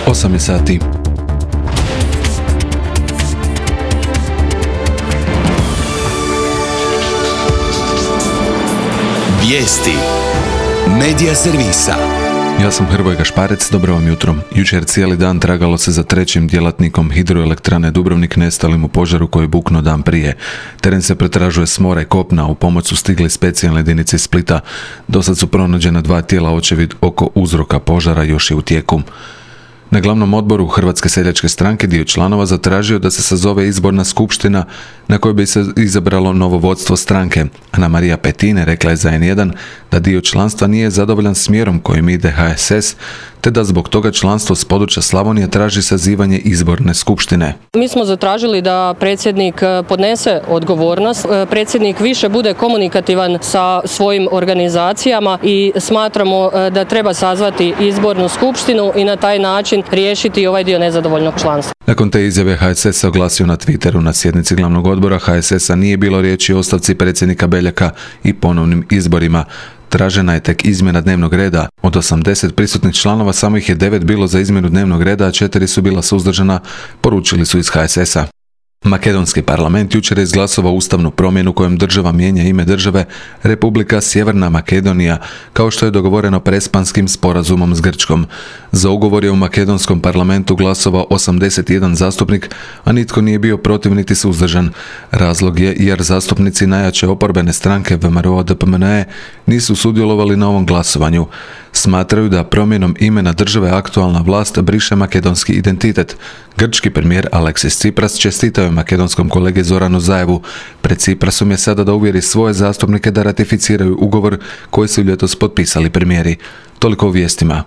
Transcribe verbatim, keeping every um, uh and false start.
osam je sati. Vijesti Medija servisa. Ja sam Hrvoje Gašparec, dobro vam jutro. Jučer cijeli dan tragalo se za trećim djelatnikom hidroelektrane Dubrovnik nestalim u požaru koji je buknuo dan prije. Teren se pretražuje s mora i kopna, u pomoć su stigli specijalne jedinice iz Splita. Dosad su pronađena dva tijela, očevid oko uzroka požara još je u tijeku. Na glavnom odboru Hrvatske seljačke stranke dio članova zatražio da se sazove izborna skupština na kojoj bi se izabralo novo vodstvo stranke. Ana Marija Petine rekla je za en jedan da dio članstva nije zadovoljan smjerom kojim ide ha es es, te da zbog toga članstvo s područja Slavonije traži sazivanje izborne skupštine. Mi smo zatražili da predsjednik podnese odgovornost, predsjednik više bude komunikativan sa svojim organizacijama i smatramo da treba sazvati izbornu skupštinu i na taj način riješiti ovaj dio nezadovoljnog članstva. Nakon te izjave ha es es se oglasio na Twitteru. Na sjednici glavnog odbora ha es es-a nije bilo riječi o ostavci predsjednika Beljaka i ponovnim izborima. Tražena je tek izmjena dnevnog reda. Od osamdeset prisutnih članova samo ih je devet bilo za izmjenu dnevnog reda, a četiri su bila suzdržana, poručili su iz ha es es-a. Makedonski parlament jučer je izglasovao ustavnu promjenu kojom država mijenja ime države Republika Sjeverna Makedonija, kao što je dogovoreno prespanskim sporazumom s Grčkom. Za ugovor je u makedonskom parlamentu glasovao osamdeset jedan zastupnik, a nitko nije bio protiv niti suzdržan. Razlog je jer zastupnici najjače oporbene stranke ve em er o de pe em en e nisu sudjelovali na ovom glasovanju. Smatraju da promjenom imena države aktualna vlast briše makedonski identitet. Grčki premijer Aleksis Tsipras čestitao je makedonskom kolegi Zoranu Zaevu. Pred Tsiprasom je sada da uvjeri svoje zastupnike da ratificiraju ugovor koji su ljetos potpisali premijeri. Toliko o vijestima.